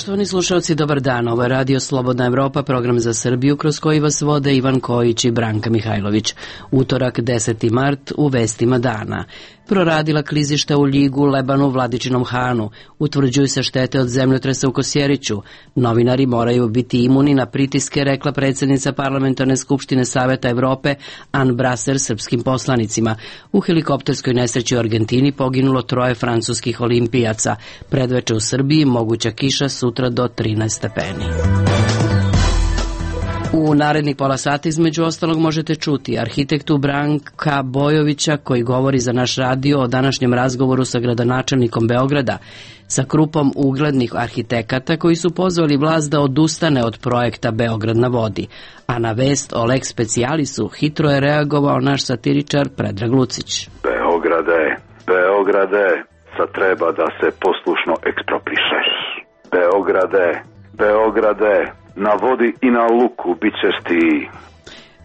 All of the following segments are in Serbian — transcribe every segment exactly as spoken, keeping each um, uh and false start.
Poštovani slušalci, dobar dan. Ovo je Radio Slobodna Evropa, program za Srbiju kroz koji vas vode Ivan Kojić i Branka Mihajlović. Utorak, deseti mart, u vestima dana. Proradila klizišta u Ljigu, Lebanu, Vladičinom Hanu. Utvrđuju se štete od zemljotresa u Kosjeriću. Novinari moraju biti imuni na pritiske, rekla predsjednica Parlamentarne skupštine Saveta Evrope Ann Brasser srpskim poslanicima. U helikopterskoj nesreći u Argentini poginulo troje francuskih olimpijaca. Predveče u Srbiji, moguća kiša, sutra do trinaest stepeni. U narednih pola sata između ostalog možete čuti arhitektu Branka Bojovića koji govori za naš radio o današnjem razgovoru sa gradonačelnikom Beograda, sa grupom uglednih arhitekata koji su pozvali vlast da odustane od projekta Beograd na vodi. A na vest o lex specialisu hitro je reagovao naš satiričar Predrag Lucić. Beograde, Beograde, sad treba da se poslušno eksproprišeš. Beograde, Beograde, na vodi i na luku bit ćeš ti.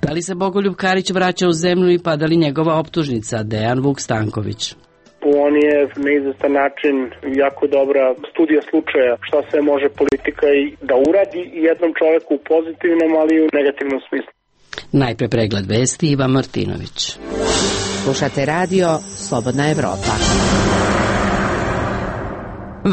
Da li se Bogoljub Karić vraća u zemlju i pada li njegova optužnica? Dejan Vuk Stanković. On je na izvestan način jako dobra studija slučaja šta sve može politika i da uradi jednom čoveku u pozitivnom, ali i u negativnom smislu. Najpre pregled vesti, Ivan Martinović. Slušate radio Slobodna Evropa.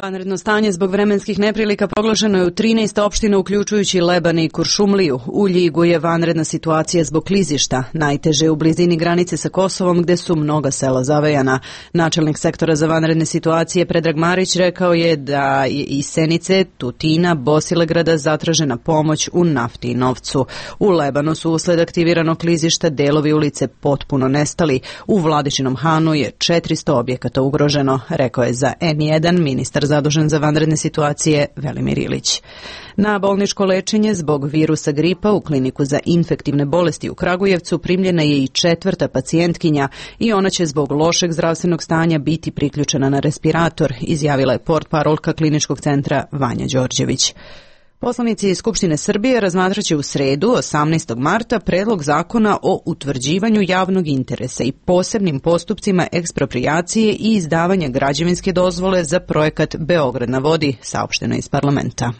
Vanredno stanje zbog vremenskih neprilika proglašeno je u trinaest opština uključujući Leban i Kuršumliju. U Ljigu je vanredna situacija zbog klizišta, najteže u blizini granice sa Kosovom gde su mnoga sela zavejana. Načelnik sektora za vanredne situacije Predrag Marić rekao je da je iz Senice, Tutina, Bosilegrada zatražena pomoć u nafti i novcu. U Lebanu su usled aktiviranog klizišta delovi ulice potpuno nestali. U Vladičinom Hanu je četiristo objekata ugroženo, rekao je za N jedan ministar zadužen za vanredne situacije Velimir Ilić. Na bolničko lečenje zbog virusa gripa u kliniku za infektivne bolesti u Kragujevcu primljena je i četvrta pacijentkinja i ona će zbog lošeg zdravstvenog stanja biti priključena na respirator, izjavila je portparolka kliničkog centra Vanja Đorđević. Poslanici iz Skupštine Srbije razmatraće u sredu, osamnaestog marta, predlog zakona o utvrđivanju javnog interesa i posebnim postupcima eksproprijacije i izdavanja građevinske dozvole za projekat Beograd na vodi, saopšteno iz parlamenta.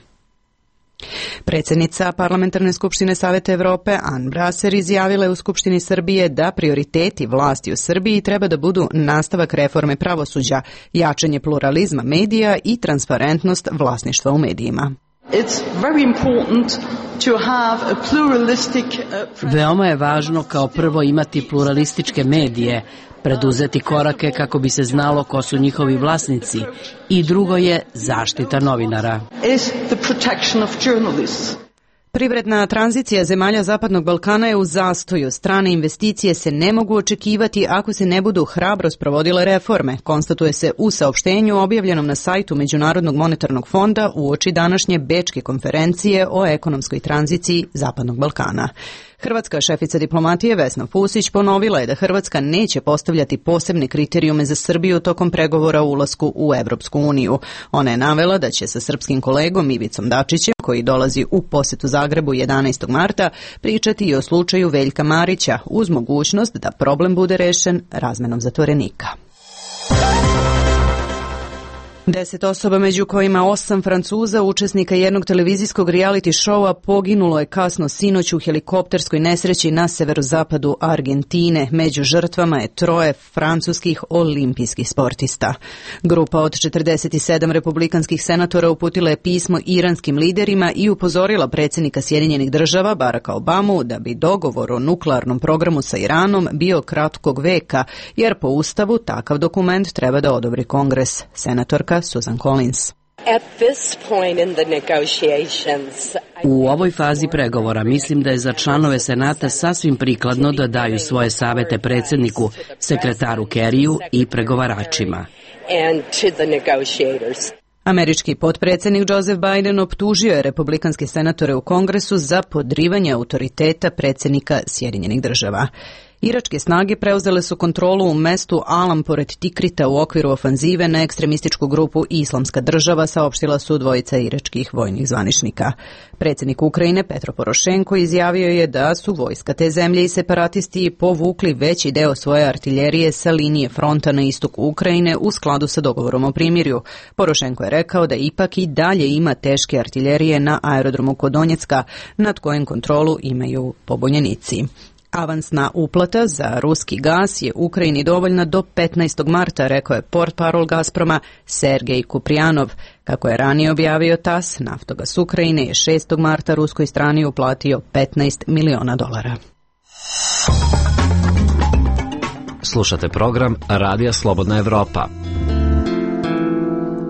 Predsjednica Parlamentarne skupštine Saveta Evrope Ann Brasser izjavila je u Skupštini Srbije da prioriteti vlasti u Srbiji treba da budu nastavak reforme pravosuđa, jačanje pluralizma medija i transparentnost vlasništva u medijima. Veoma je važno kao prvo imati pluralističke medije, preduzeti korake kako bi se znalo ko su njihovi vlasnici i drugo je zaštita novinara. Privredna tranzicija zemalja Zapadnog Balkana je u zastoju. Strane investicije se ne mogu očekivati ako se ne budu hrabro sprovodile reforme, konstatuje se u saopštenju objavljenom na sajtu Međunarodnog monetarnog fonda uoči današnje bečke konferencije o ekonomskoj tranziciji Zapadnog Balkana. Hrvatska šefica diplomatije Vesna Pusić ponovila je da Hrvatska neće postavljati posebne kriterijume za Srbiju tokom pregovora o ulasku u Evropsku uniju. Ona je navela da će sa srpskim kolegom Ivicom Dačićem, koji dolazi u posetu Zagrebu jedanaestog marta, pričati i o slučaju Veljka Marića uz mogućnost da problem bude rešen razmenom zatvorenika. Deset osoba, među kojima osam Francuza, učesnika jednog televizijskog reality showa, poginulo je kasno sinoć u helikopterskoj nesreći na severozapadu Argentine. Među žrtvama je troje francuskih olimpijskih sportista. Grupa od četrdeset sedam republikanskih senatora uputila je pismo iranskim liderima i upozorila predsjednika Sjedinjenih država Baracka Obamu da bi dogovor o nuklearnom programu sa Iranom bio kratkog veka, jer po Ustavu takav dokument treba da odobri Kongres. Senatorka Susan Collins. U ovoj fazi pregovora mislim da je za članove Senata sasvim prikladno da daju svoje savete predsjedniku, sekretaru Kerriju i pregovaračima. Američki potpredsjednik Joseph Biden optužio je republikanske senatore u Kongresu za podrivanje autoriteta predsjednika Sjedinjenih država. Iračke snage preuzele su kontrolu u mestu Alam pored Tikrita u okviru ofanzive na ekstremističku grupu Islamska država, saopštila su dvojica iračkih vojnih zvaničnika. Predsjednik Ukrajine Petro Porošenko izjavio je da su vojska te zemlje i separatisti povukli veći deo svoje artiljerije sa linije fronta na istoku Ukrajine u skladu sa dogovorom o primirju. Porošenko je rekao da ipak i dalje ima teške artiljerije na aerodromu kod Donjecka, nad kojim kontrolu imaju pobunjenici. Avansna uplata za ruski gas je Ukrajini dovoljna do petnaestog marta, rekao je portparol Gazproma Sergej Kuprijanov. Kako je ranije objavio TAS, Naftogas Ukrajine je šestog marta ruskoj strani uplatio petnaest miliona dolara. Slušate program Radija Slobodna Evropa.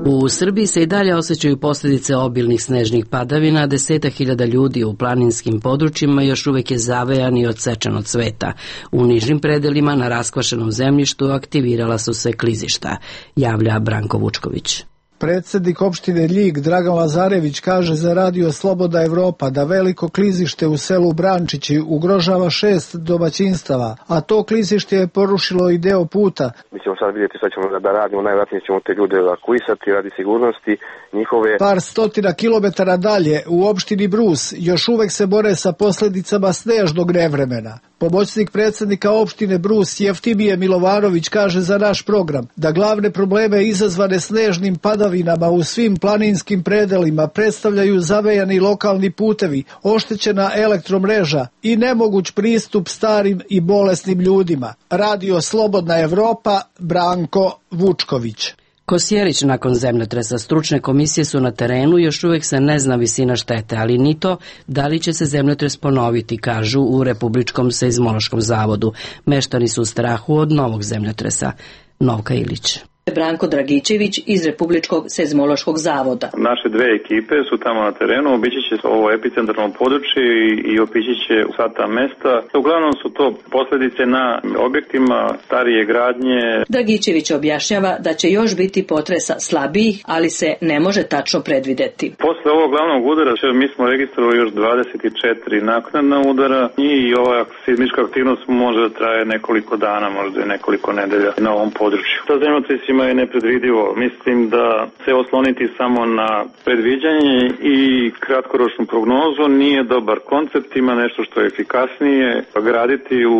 U Srbiji se i dalje osjećaju posljedice obilnih snežnih padavina, desetak hiljada ljudi u planinskim područjima još uvijek je zavejan i odsečen od sveta. U nižim predelima na raskvašenom zemljištu aktivirala su se klizišta, javlja Branko Vučković. Predsjednik opštine Ljig Dragan Lazarević kaže za Radio Slobodna Evropa da veliko klizište u selu Brančići ugrožava šest domaćinstava, a to klizište je porušilo i deo puta. Mi ćemo sad vidjeti šta ćemo da radimo, najvjerojatnije ćemo te ljude evakuisati radi sigurnosti njihove. Par stotina kilometara dalje u opštini Brus još uvek se bore sa posljedicama snežnog nevremena. Pomoćnik predsjednika opštine Brus Jeftimije Milovanović kaže za naš program da glavne probleme izazvane snežnim padavinama u svim planinskim predelima predstavljaju zavejani lokalni putevi, oštećena elektromreža i nemoguć pristup starim i bolesnim ljudima. Radio Slobodna Evropa, Branko Vučković. Kosjerić nakon zemljotresa. Stručne komisije su na terenu, još uvijek se ne zna visina štete, ali ni to da li će se zemljotres ponoviti, kažu u Republičkom seizmološkom zavodu. Meštani su u strahu od novog zemljotresa. Novka Ilić. Branko Dragičević iz Republičkog seizmološkog zavoda. Naše dve ekipe su tamo na terenu, obići će ovo epicentralno područje i obići će sva ta mesta. Uglavnom su to posljedice na objektima starije gradnje. Dragičević objašnjava da će još biti potresa slabijih, ali se ne može tačno predvideti. Posle ovog glavnog udara mi smo registrovali još dvadeset četiri naknadna udara i ova seizmička aktivnost može da traje nekoliko dana, možda i nekoliko nedelja na ovom području. Ta zemljotres je nepredvidivo. Mislim da se osloniti samo na predviđanje i kratkoročnu prognozu nije dobar koncept, ima nešto što je efikasnije, graditi u,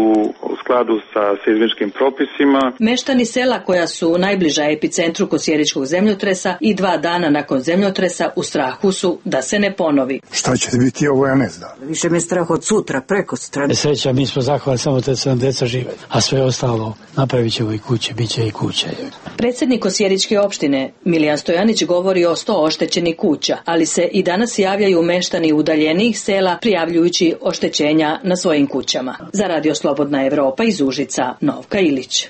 u skladu sa seizmičkim propisima. Meštani sela koja su najbliža epicentru kosjeričkog zemljotresa i dva dana nakon zemljotresa u strahu su da se ne ponovi. Šta će biti ovo, ja ne znam. Više me strah od sutra, preko strane. Sreća, mi smo zahvalni samo da se nam deca žive, a sve ostalo napravit ćemo i kuće, bit će i kuće. Predsjednik Kosjeričke opštine Milijan Stojanić govori o sto oštećenih kuća, ali se i danas javljaju meštani udaljenijih sela prijavljujući oštećenja na svojim kućama. Za Radio Slobodna Evropa iz Užica, Novka Ilić.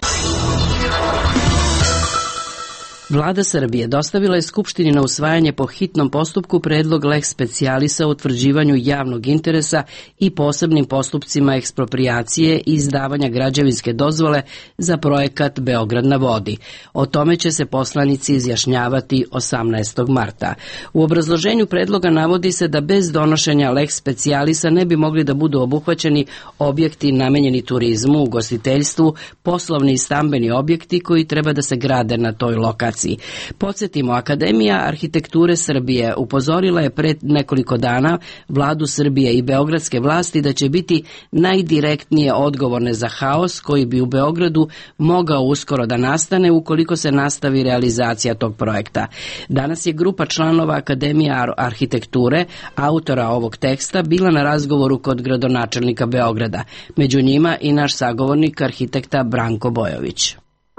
Vlada Srbije dostavila je Skupštini na usvajanje po hitnom postupku predlog lex specialisa o utvrđivanju javnog interesa i posebnim postupcima eksproprijacije i izdavanja građevinske dozvole za projekat Beograd na vodi. O tome će se poslanici izjašnjavati osamnaestog marta. U obrazloženju predloga navodi se da bez donošenja lex specialisa ne bi mogli da budu obuhvaćeni objekti namenjeni turizmu, ugostiteljstvu, poslovni i stambeni objekti koji treba da se grade na toj lokaciji. Podsjetimo, Akademija arhitekture Srbije upozorila je pred nekoliko dana vladu Srbije i beogradske vlasti da će biti najdirektnije odgovorne za haos koji bi u Beogradu mogao uskoro da nastane ukoliko se nastavi realizacija tog projekta. Danas je grupa članova Akademije arhitekture, autora ovog teksta, bila na razgovoru kod gradonačelnika Beograda. Među njima i naš sagovornik arhitekta Branko Bojović.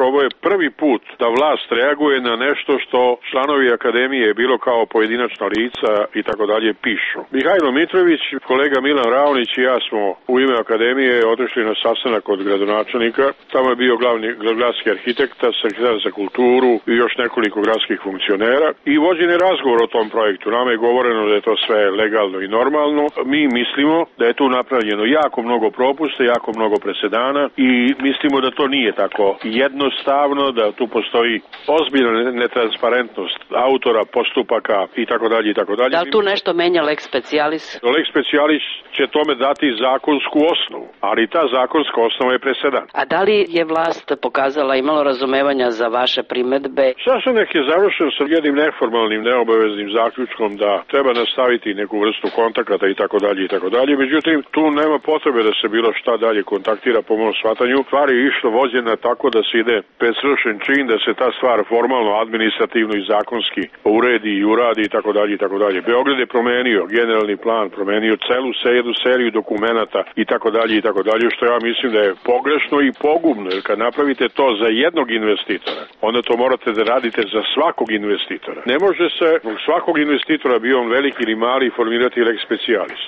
Ovo je prvi put da vlast reaguje na nešto što članovi akademije, bilo kao pojedinačna lica i tako dalje, pišu. Mihajlo Mitrović, kolega Milan Raonić i ja smo u ime akademije otišli na sastanak kod gradonačelnika. Tamo je bio glavni gradski arhitekta, sekretar za kulturu i još nekoliko gradskih funkcionera i vođen je razgovor o tom projektu. Nama je govoreno da je to sve legalno i normalno. Mi mislimo da je tu napravljeno jako mnogo propusta, jako mnogo presedana i mislimo da to nije tako jedno jednostavno, da tu postoji ozbiljna netransparentnost autora, postupaka i tako dalje i tako dalje. Da li tu nešto menja lex specialis? Lex specialis će tome dati zakonsku osnovu, ali ta zakonska osnova je presedan. A da li je vlast pokazala, imalo razumevanja za vaše primedbe? Sastanak je završen sa jednim neformalnim, neobaveznim zaključkom da treba nastaviti neku vrstu kontakata i tako dalje i tako dalje. Međutim, tu nema potrebe da se bilo šta dalje kontaktira po mom shvatanju. Stvar je išlo vođena tako da se ide pred svršen čin, da se ta stvar formalno, administrativno i zakonski uredi i uradi i tako dalje i tako dalje. Beograd je promenio generalni plan, promenio celu jednu seriju dokumenata i tako dalje i tako dalje, što ja mislim da je pogrešno i pogubno, jer kad napravite to za jednog investitora, onda to morate da radite za svakog investitora. Ne može se svakog investitora, bio on veliki ili mali, formirati lex specialis.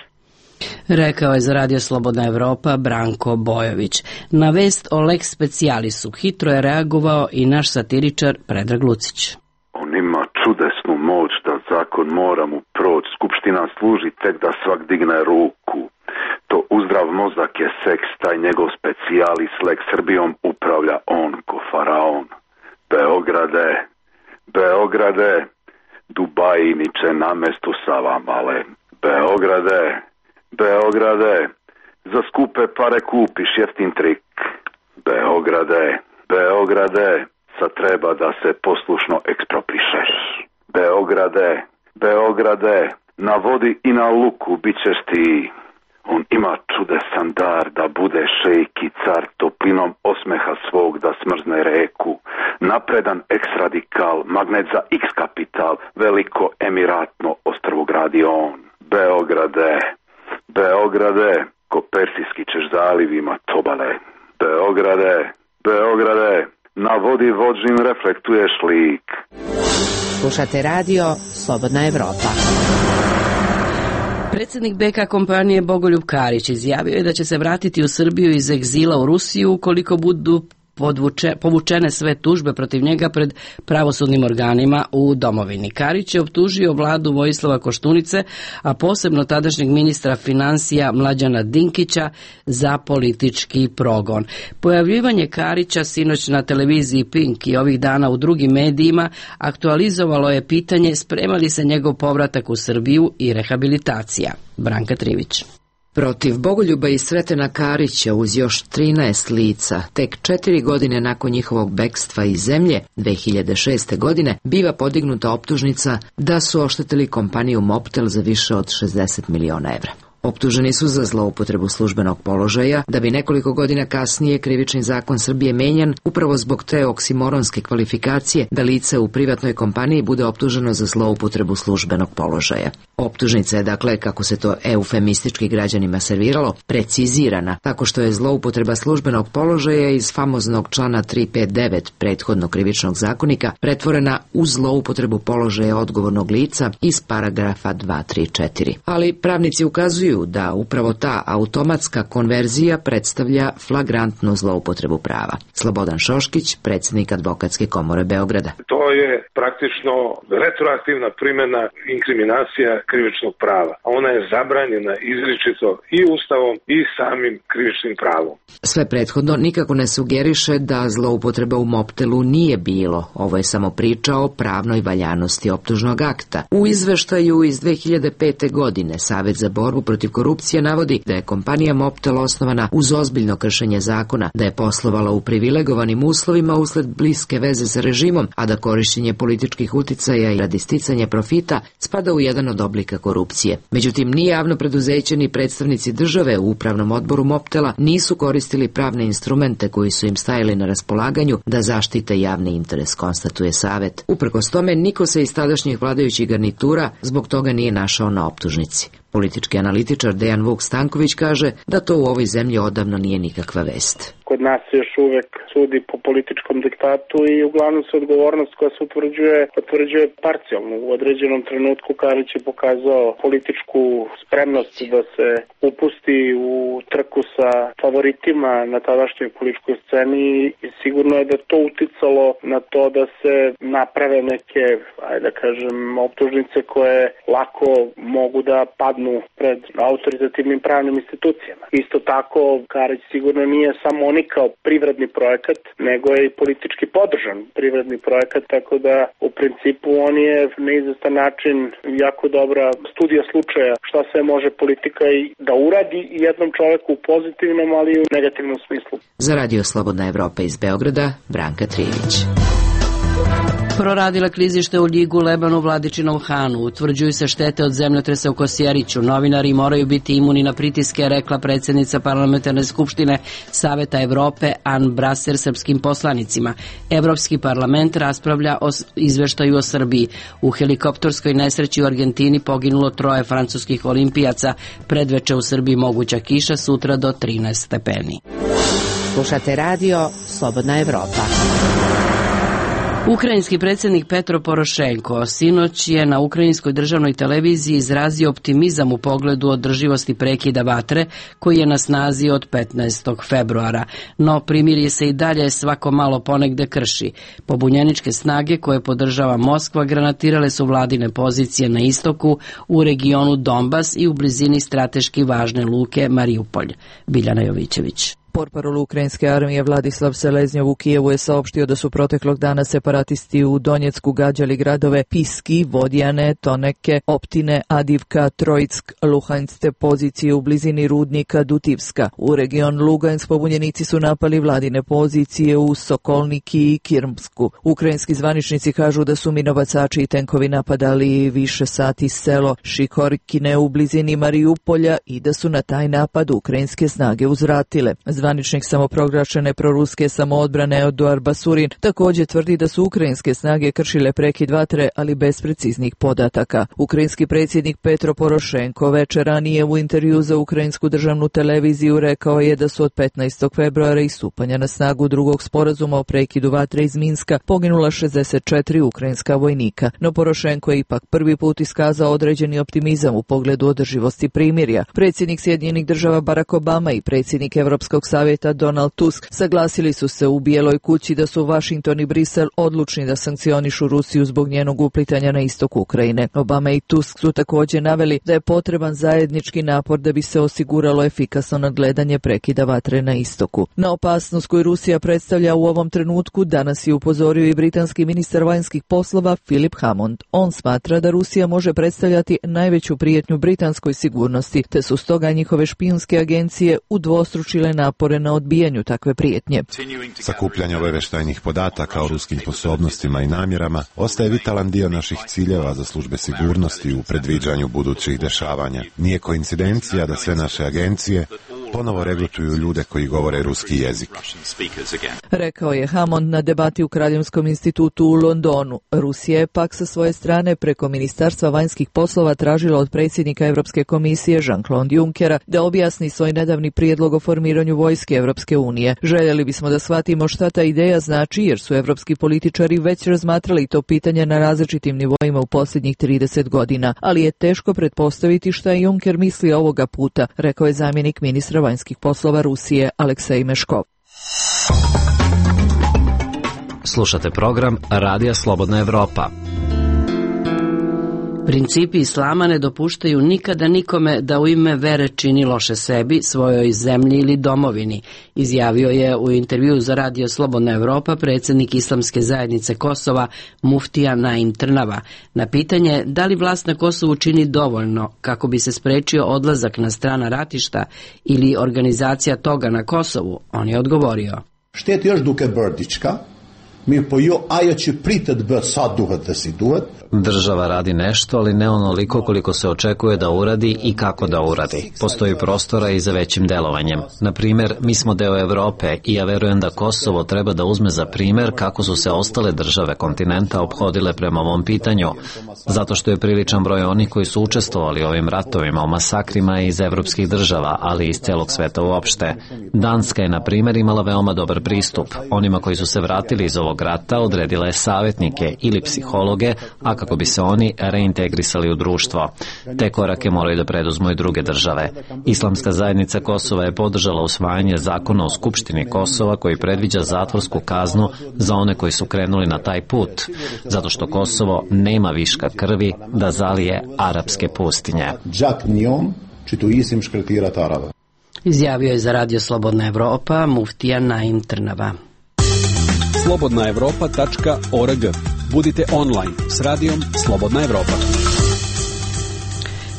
Rekao je za Radio Slobodna Evropa Branko Bojović. Na vest o lex specialisu hitro je reagovao i naš satiričar Predrag Lucić. On ima čudesnu moć da zakon mora mu proći. Skupština služi tek da svak digne ruku. To uzdrav mozak je seks, taj njegov specijalis lex Srbijom upravlja on ko faraon. Beograde, Beograde, Dubaji niče na mestu sa vamale. Beograde, Beograde, za skupe pare kupiš jeftin trik. Beograde, Beograde, sad treba da se poslušno eksproprišeš. Beograde, Beograde, na vodi i na luku bit ćeš ti. On ima čudesan dar da bude šejk i car, toplinom osmeha svog da smrzne reku. Napredan ex-radikal, magnet za X-kapital, veliko emiratno ostrvo gradi on. Beograde, Beograde, ko Persijski ćeš zalivima tobale. Beograde, Beograde, na vodi vođin reflektuješ lik. Slušate radio Slobodna Evropa. Predsjednik B K kompanije Bogoljub Karić izjavio je da će se vratiti u Srbiju iz egzila u Rusiju ukoliko budu podvuče, povučene sve tužbe protiv njega pred pravosudnim organima u domovini. Karić je optužio vladu Vojislava Koštunice, a posebno tadašnjeg ministra financija Mlađana Dinkića za politički progon. Pojavljivanje Karića sinoć na televiziji Pink i ovih dana u drugim medijima aktualizovalo je pitanje sprema li se njegov povratak u Srbiju i rehabilitacija. Branka Trivić. Protiv Bogoljuba i Sretena Karića uz još trinaest lica, tek četiri godine nakon njihovog bekstva iz zemlje, dve hiljade šeste. godine, biva podignuta optužnica da su oštetili kompaniju Mobtel za više od šezdeset miliona evra. Optuženi su za zloupotrebu službenog položaja, da bi nekoliko godina kasnije krivični zakon Srbije menjan upravo zbog te oksimoronske kvalifikacije da lice u privatnoj kompaniji bude optuženo za zloupotrebu službenog položaja. Optužnica je, dakle, kako se to eufemistički građanima serviralo, precizirana, tako što je zloupotreba službenog položaja iz famoznog člana tri pet devet prethodnog krivičnog zakonika pretvorena u zloupotrebu položaja odgovornog lica iz paragrafa dva tri četiri. Ali pravnici ukazuju da upravo ta automatska konverzija predstavlja flagrantnu zloupotrebu prava. Slobodan Šoškić, predsjednik Advokatske komore Beograda. To je praktično retroaktivna primjena inkriminacija krivičnog prava. Ona je zabranjena izričito i Ustavom i samim krivičnim pravom. Sve prethodno nikako ne sugeriše da zloupotreba u Mobtelu nije bilo. Ovo je samo priča o pravnoj valjanosti optužnog akta. U izveštaju iz dve hiljade pete. godine Savet za borbu protiv korupcije navodi da je kompanija Mobtel osnovana uz ozbiljno kršenje zakona, da je poslovala u privilegovanim uslovima usled bliske veze sa režimom, a da korišćenje političkih uticaja i radi sticanja profita spada u jedan od oblika korupcije. Međutim, ni javno preduzeće ni predstavnici države u upravnom odboru Mobtela nisu koristili pravne instrumente koji su im stajali na raspolaganju da zaštite javni interes, konstatuje Savet. Uprkos tome, niko se iz tadašnjih vladajućih garnitura zbog toga nije našao na optužnici. Politički analitičar Dejan Vuk Stanković kaže da to u ovoj zemlji odavno nije nikakva vest. Kod nas se još uvek sudi po političkom diktatu i uglavnom se odgovornost koja se utvrđuje, utvrđuje parcijalno. U određenom trenutku Karić je pokazao političku spremnost da se upusti u trku sa favoritima na tadašnjoj političkoj sceni i sigurno je da to uticalo na to da se naprave neke, ajde da kažem, optužnice koje lako mogu da padnu padnu pred autoritativnim pravnim institucijama. Isto tako, Karić sigurno nije samo oni kao privredni projekat, nego je i politički podržan privredni projekat, tako da u principu on je na izvestan način jako dobra studija slučaja šta sve može politika i da uradi jednom čoveku u pozitivnom, ali i u negativnom smislu. Za Radio Slobodna Evropa iz Beograda, Branka Trijević. Proradila klizište u Ljigu, Lebanu, Vladičinom Hanu. Utvrđuju se štete od zemljotresa u Kosjeriću. Novinari moraju biti imuni na pritiske, rekla predsjednica Parlamentarne skupštine Saveta Evrope Ann Braser srpskim poslanicima. Evropski parlament raspravlja o izveštaju o Srbiji. U helikopterskoj nesreći u Argentini poginulo troje francuskih olimpijaca. Predveče u Srbiji moguća kiša, sutra do trinaest stepeni. Slušate radio Slobodna Evropa. Ukrajinski predsjednik Petro Porošenko sinoć je na ukrajinskoj državnoj televiziji izrazio optimizam u pogledu održivosti prekida vatre koji je na snazi od petnaestog februara, no primirje se i dalje svako malo ponegde krši. Pobunjeničke snage koje podržava Moskva granatirale su vladine pozicije na istoku, u regionu Donbas i u blizini strateški važne luke Mariupolj. Biljana Jovićević. Portparol ukrajinske armije Vladislav Seleznjov u Kijevu je saopštio da su proteklog dana separatisti u Donjecku gađali gradove Piski, Vodjane, Toneke, Optine, Adivka, Trojck, Luhanjske pozicije u blizini rudnika Dutivska. U region Lugansk pobunjenici su napali vladine pozicije u Sokolniki i Kirmsku. Ukrajinski zvaničnici kažu da su minobacači i tenkovi napadali više sati selo Šikorkine u blizini Mariupolja i da su na taj napad ukrajinske snage uzvratile. Zvaničnik samoproglašene proruske samoodbrane Eduard Basurin također tvrdi da su ukrajinske snage kršile prekid vatre, ali bez preciznih podataka. Ukrajinski predsjednik Petro Porošenko večer ranije u intervju za ukrajinsku državnu televiziju rekao je da su od petnaestog februara i stupanja na snagu drugog sporazuma o prekidu vatre iz Minska poginula šezdeset četiri ukrajinska vojnika. No Porošenko je ipak prvi put iskazao određeni optimizam u pogledu održivosti primirja. Predsjednik Sjedinjenih država Barack Obama i predsjednik Evropskog savjeta Donald Tusk saglasili su se u Bijeloj kući da su Washington i Brisel odlučni da sankcionišu Rusiju zbog njenog uplitanja na istok Ukrajine. Obama i Tusk su također naveli da je potreban zajednički napor da bi se osiguralo efikasno nadgledanje prekida vatre na istoku. Na opasnost koju Rusija predstavlja u ovom trenutku danas je upozorio i britanski ministar vanjskih poslova Philip Hammond. On smatra da Rusija može predstavljati najveću prijetnju britanskoj sigurnosti, te su stoga njihove špijunske agencije udvostručile napore na odbijanju takve prijetnje. Sakupljanje obavještajnih podataka o ruskim sposobnostima i namjerama ostaje vitalan dio naših ciljeva za službe sigurnosti u predviđanju budućih dešavanja. Nije koincidencija da sve naše agencije ponovo regrutuju ljude koji govore ruski jezik. Rekao je Hammond na debati u Kraljevskom institutu u Londonu. Rusija je pak sa svoje strane preko Ministarstva vanjskih poslova tražila od predsjednika Europske komisije Jean-Claude Junckera da objasni svoj nedavni prijedlog o formiranju vojske Europske unije. Željeli bismo da shvatimo šta ta ideja znači, jer su evropski političari već razmatrali to pitanje na različitim nivoima u posljednjih trideset godina, ali je teško pretpostaviti šta je Juncker misli ovoga puta, rekao je zamjenik ministra vanjskih poslova Rusije Aleksej Meškov. Slušate program Radija Slobodna Evropa. Principi islama ne dopuštaju nikada nikome da u ime vere čini loše sebi, svojoj zemlji ili domovini, izjavio je u intervjuu za Radio Slobodna Evropa predsjednik Islamske zajednice Kosova Muftija Naim Trnava. Na pitanje da li vlast na Kosovu čini dovoljno kako bi se sprečio odlazak na strana ratišta ili organizacija toga na Kosovu, on je odgovorio. Štet još duke Brdička, mi po jo ajo će pritet bë sa duhet da si duhet. Država radi nešto, ali ne onoliko koliko se očekuje da uradi i kako da uradi. Postoji prostora i za većim delovanjem. Na primjer, mi smo deo Evrope i ja verujem da Kosovo treba da uzme za primjer kako su se ostale države kontinenta ophodile prema ovom pitanju, zato što je priličan broj onih koji su učestvovali u ovim ratovima, u masakrima iz evropskih država, ali i iz celog sveta uopšte. Danska je, na primjer, imala veoma dobar pristup. Onima koji su se vratili iz ovog ovog rata odredila je savjetnike ili psihologe, a kako bi se oni reintegrisali u društvo. Te korake moraju da preduzmu i druge države. Islamska zajednica Kosova je podržala usvajanje zakona o Skupštini Kosova koji predviđa zatvorsku kaznu za one koji su krenuli na taj put, zato što Kosovo nema viška krvi da zalije arapske pustinje. Izjavio je za Radio Slobodna Evropa muftija Naim Trnava. slobodna evropa tačka org. Budite online s radijom Slobodna Evropa.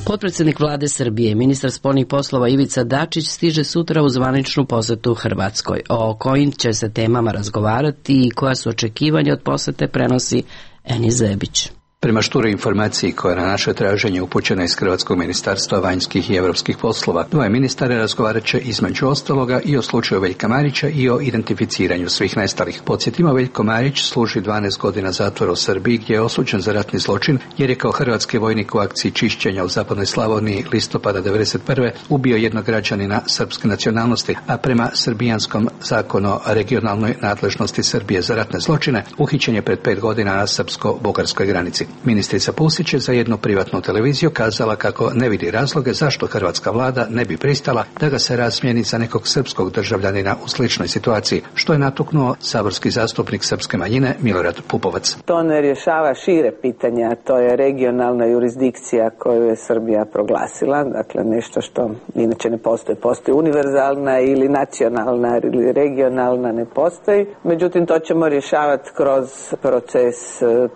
Potpredsjednik vlade Srbije, ministar spoljnih poslova Ivica Dačić stiže sutra u zvaničnu posetu Hrvatskoj. O kojim će se temama razgovarati i koja su očekivanja od posete prenosi Eni Zebić. Prema šturoj informaciji koja je na naše traženje upućena iz Hrvatskog ministarstva vanjskih i evropskih poslova, dvoje ministara razgovarat će između ostaloga i o slučaju Veljka Marića i o identificiranju svih nestalih. Podsjetimo, Veljko Marić služi dvanaest godina zatvora u Srbiji gdje je osuđen za ratni zločin jer je kao hrvatski vojnik u akciji čišćenja u zapadnoj Slavoniji listopada devedeset prve ubio jednog građanina srpske nacionalnosti, a prema srbijanskom zakonu o regionalnoj nadležnosti Srbije za ratne zločine uhićen je pred pet godina na srpsko-bugarskoj granici. Ministrica Pusić je za jednu privatnu televiziju kazala kako ne vidi razloge zašto hrvatska vlada ne bi pristala da ga se razmijeni za nekog srpskog državljanina u sličnoj situaciji, što je natuknuo saborski zastupnik srpske manjine Milorad Pupovac. To ne rješava šire pitanja, to je regionalna jurisdikcija koju je Srbija proglasila, dakle nešto što inače ne postoji. Postoji univerzalna ili nacionalna ili regionalna, ne postoji. Međutim, to ćemo rješavati kroz proces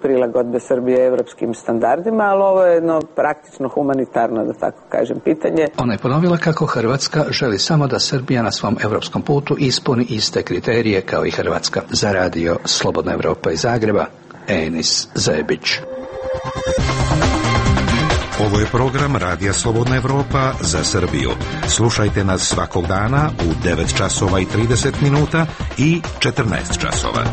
prilagodbe Srbije evropskim standardima, ali ovo je jedno praktično humanitarno, da tako kažem, pitanje. Ona je ponovila kako Hrvatska želi samo da Srbija na svom evropskom putu ispuni iste kriterije kao i Hrvatska. Za Radio Slobodna Evropa iz Zagreba, Enis Zebić. Ovo je program Radija Slobodna Evropa za Srbiju. Slušajte nas svakog dana u devet časova i trideset minuta i četrnaest časova.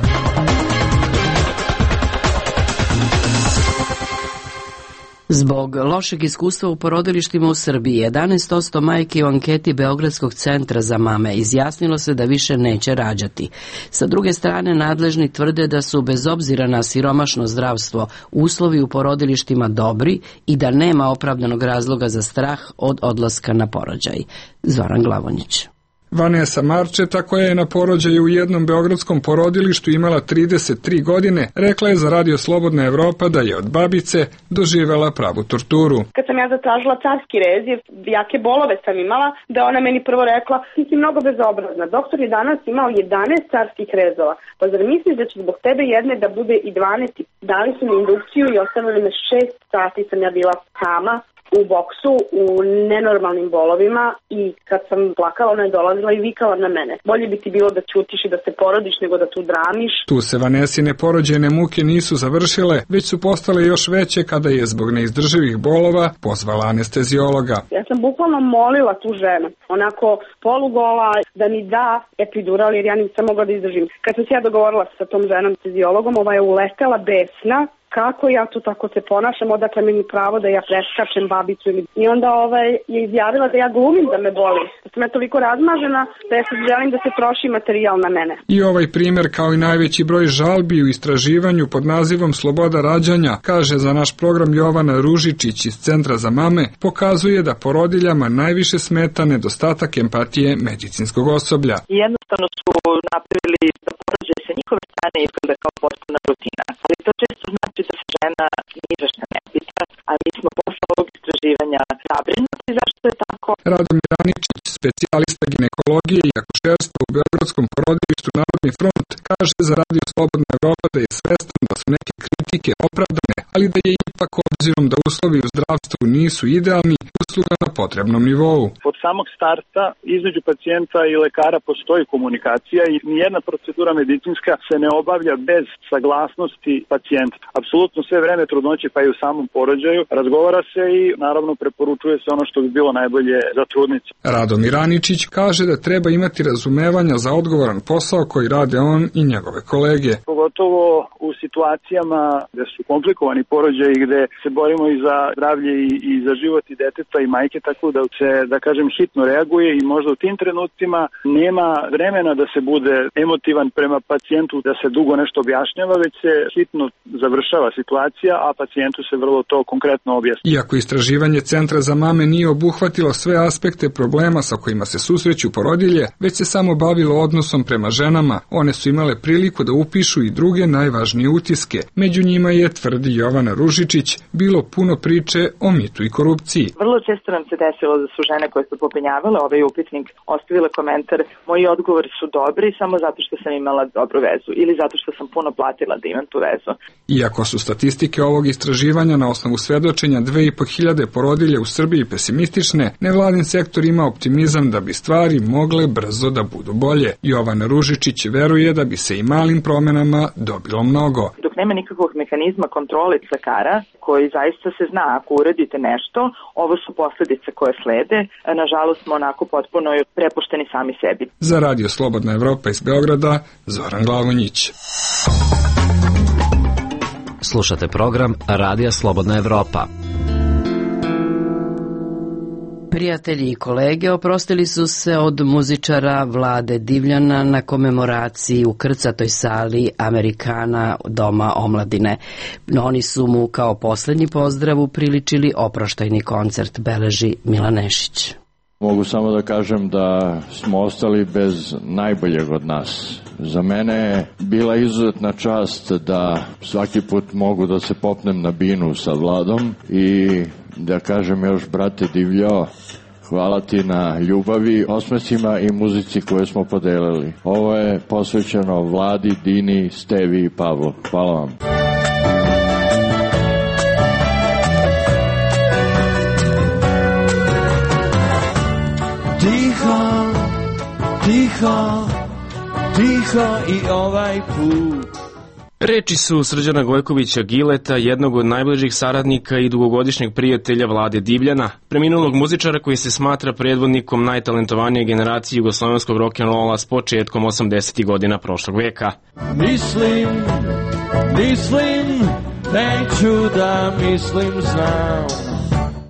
Zbog lošeg iskustva u porodilištima u Srbiji, jedanaest posto majki u anketi Beogradskog centra za mame izjasnilo se da više neće rađati. Sa druge strane, nadležni tvrde da su, bez obzira na siromašno zdravstvo, uslovi u porodilištima dobri i da nema opravdanog razloga za strah od odlaska na porođaj. Zoran Glavonjić. Vanesa Marčeta, koja je na porođaju u jednom beogradskom porodilištu imala trideset tri godine, rekla je za Radio Slobodna Evropa da je od babice doživela pravu torturu. Kad sam ja zatražila carski rez, jer jake bolove sam imala, da ona meni prvo rekla, ti si mnogo bezobrazna, doktor je danas imao jedanaest carskih rezova, pa zar misliš da će zbog tebe jedne da bude i dvanaest? Dali su mi indukciju i ostavili me šest sati, sam ja bila sama u boksu, u nenormalnim bolovima, i kad sam plakala, ona je dolazila i vikala na mene. Bolje bi ti bilo da ćutiš i da se porodiš nego da tu dramiš. Tu se Vanesine porođajne muke nisu završile, već su postale još veće kada je zbog neizdrživih bolova pozvala anestezijologa. Ja sam bukvalno molila tu ženu, onako polugola, da mi da epidural jer ja nisam mogla da izdržim. Kad sam se ja dogovorila sa tom ženom anestezijologom, ova je uletela besna. Kako ja tu tako se ponašam, odakle meni pravo da ja preskačem babicu ili... I onda ovaj, je izjavila da ja glumim da me boli. Da sam ja toliko razmažena da ja sad želim da se troši materijal na mene. I ovaj primjer, kao i najveći broj žalbi u istraživanju pod nazivom Sloboda rađanja, kaže za naš program Jovana Ružičić iz Centra za mame, pokazuje da porodiljama najviše smeta nedostatak empatije medicinskog osoblja. Jednostavno su napravili da porođaj sa njihove strane izgleda kao postana rutina. Ali to često znači da se žena ni za šta ne pita, a mi smo posle ovog istraživanja zabrinuti zašto je tako. Radomir Aničić, specijalista ginekologije i akušerstva u beogradskom porodilištu Narodni front, kaže za Radio Slobodna Evropa da je svestan da su neke kritike opravdane, ali da je ipak, obzirom da uslovi u zdravstvu nisu idealni, usluga na potrebnom nivou. Od samog starta između pacijenta i lekara postoji komunikacija i nijedna procedura medicinska se ne obavlja bez saglasnosti pacijenta. Apsolutno sve vreme trudnoće, pa i u samom porođaju, razgovara se i naravno preporučuje se ono što bi bilo najbolje za trudnicu. Radomir Aničić kaže da treba imati razumevanja za odgovoran posao koji rade on i njegove kolege. Pogotovo u situacijama gde su komplikovani porođaji, gde se borimo i za zdravlje i, i za život i deteta i i majke, tako da se, da kažem, hitno reaguje i možda u tim trenucima nema vremena da se bude emotivan prema pacijentu, da se dugo nešto objašnjava, već se hitno završava situacija, a pacijentu se vrlo to konkretno objasni. Iako istraživanje Centra za mame nije obuhvatilo sve aspekte problema sa kojima se susreću porodilje, već se samo bavilo odnosom prema ženama, one su imale priliku da upišu i druge najvažnije utiske. Među njima je, tvrdi Jovana Ružičić, bilo puno priče o mitu i korupciji. Vrlo često nam se desilo da su žene koje su popunjavale ovaj upitnik ostavile komentar: moji odgovori su dobri samo zato što sam imala dobru vezu ili zato što sam puno platila da imam tu vezu. Iako su statistike ovog istraživanja na osnovu svedočenja dve i po hiljade porodilje u Srbiji pesimistične, nevladin sektor ima optimizam da bi stvari mogle brzo da budu bolje. Jovana Ružičić veruje da bi se i malim promenama dobilo mnogo. Dok nema nikakvog mehanizma kontrole lekara, koji zaista se zna ako uradite nešto, ovo su posledice koje slede. Nažalost smo onako potpuno prepušteni sami sebi. Za Radio Slobodna Evropa iz Beograda, Zoran Glavonjić. Slušate program Radija Slobodna Evropa. Prijatelji i kolege oprostili su se od muzičara Vlade Divljana na komemoraciji u krcatoj sali Amerikana Doma omladine. Oni su mu kao poslednji pozdrav upriličili oproštajni koncert, beleži Milan Nešić. Mogu samo da kažem da smo ostali bez najboljeg od nas. Za mene je bila izuzetna čast da svaki put mogu da se popnem na binu sa Vladom i da kažem još, brate Divljo, hvala ti na ljubavi, osmesima i muzici koje smo podelili. Ovo je posvećeno Vladi, Dini, Stevi i Pavlu. Hvala vam. Tiho, tiho, tiho i ovaj put. Reči su Srđana Gojkovića Gileta, jednog od najbližih saradnika i dugogodišnjeg prijatelja Vlade Divljana, preminulog muzičara koji se smatra predvodnikom najtalentovanije generacije jugoslovenskog rock'n'rolla s početkom osamdesetih godina prošlog veka. Mislim, mislim, neću da mislim, znam.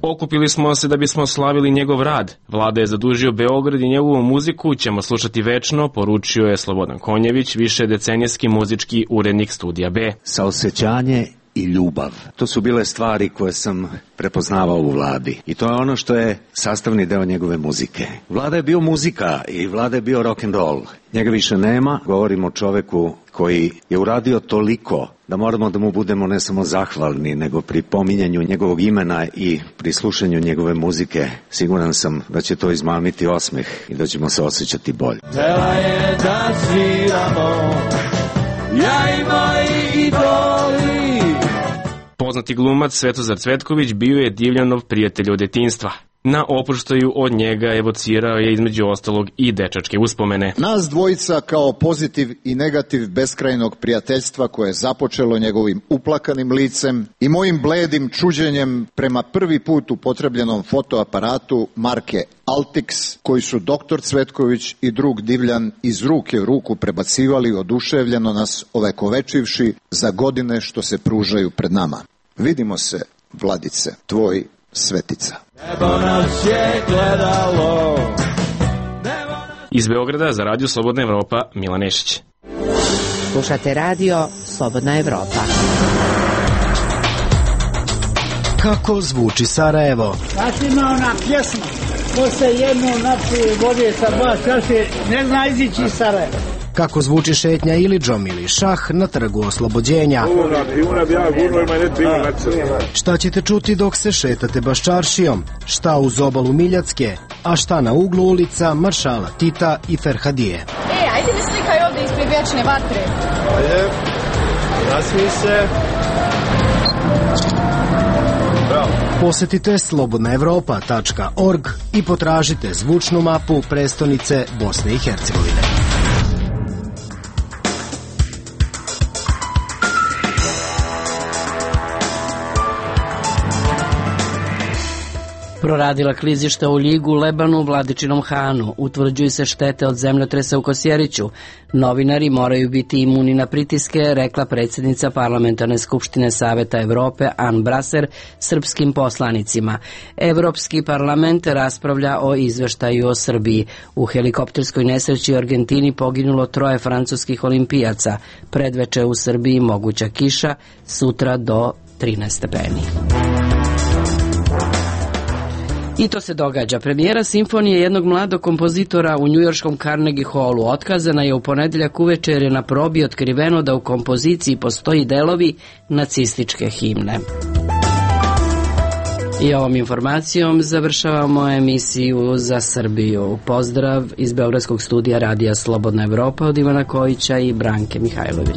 Okupili smo se da bismo slavili njegov rad. Vlada je zadužio Beograd i njegovu muziku ćemo slušati večno, poručio je Slobodan Konjević, više decenijski muzički urednik Studija B. Saosećanje i ljubav. To su bile stvari koje sam prepoznavao u Vladi. I to je ono što je sastavni deo njegove muzike. Vlada je bio muzika i Vlada je bio rock and roll. Njega više nema. Govorimo o čoveku koji je uradio toliko da moramo da mu budemo ne samo zahvalni, nego pri pominjanju njegovog imena i pri slušanju njegove muzike siguran sam da će to izmamiti osmeh i da ćemo se osjećati bolje. Tela je da sviramo, ja i moji idoli. Poznati glumac Svetozar Cvetković bio je Divljanov prijatelj od detinjstva. Na oproštaju od njega evocirao je između ostalog i dečačke uspomene. Nas dvojica kao pozitiv i negativ beskrajnog prijateljstva koje je započelo njegovim uplakanim licem i mojim bledim čuđenjem prema prvi put upotrebljenom fotoaparatu marke Altix, koji su doktor Cvetković i drug Divljan iz ruke u ruku prebacivali oduševljeno nas ovekovečivši za godine što se pružaju pred nama. Vidimo se, Vladice, tvoj Svetica. Nebo nas je gledalo. Iz Beograda za Radio Slobodna Evropa, Milan Nešić. Slušate Radio Slobodna Evropa. Kako zvuči Sarajevo? Sad ima ona pjesma, ko se jedno napije vode sa dva čaše, ne zna izići iz Sarajeva. Kako zvuči šetnja Ilidžom ili šah na trgu Oslobođenja? Šta ćete čuti dok se šetate Baščaršijom? Šta uz obalu Miljacke? A šta na uglu ulica Maršala Tita i Ferhadije? E, ajde mi slikaj ovdje ispred vječne vatre. Ajde, nasmij se. Bravo. Posetite slobodna evropa tačka org i potražite zvučnu mapu prestonice Bosne i Hercegovine. Proradila klizišta u Ljigu, Lebanu, Vladičinom Hanu. Utvrđuju se štete od zemljotresa u Kosjeriću. Novinari moraju biti imuni na pritiske, rekla predsjednica Parlamentarne skupštine Saveta Evrope Ann Braser srpskim poslanicima. Evropski parlament raspravlja o izveštaju o Srbiji. U helikopterskoj nesreći u Argentini poginulo troje francuskih olimpijaca. Predveče u Srbiji moguća kiša, sutra do trinaest stepeni. I to se događa. Premijera simfonije jednog mladog kompozitora u njujorškom Carnegie Hallu otkazana je u ponedeljak uveče jer je na probi otkriveno da u kompoziciji postoji delovi nacističke himne. I ovom informacijom završavamo emisiju za Srbiju. Pozdrav iz Beogradskog studija Radija Slobodna Evropa od Ivana Kojića i Branke Mihajlović.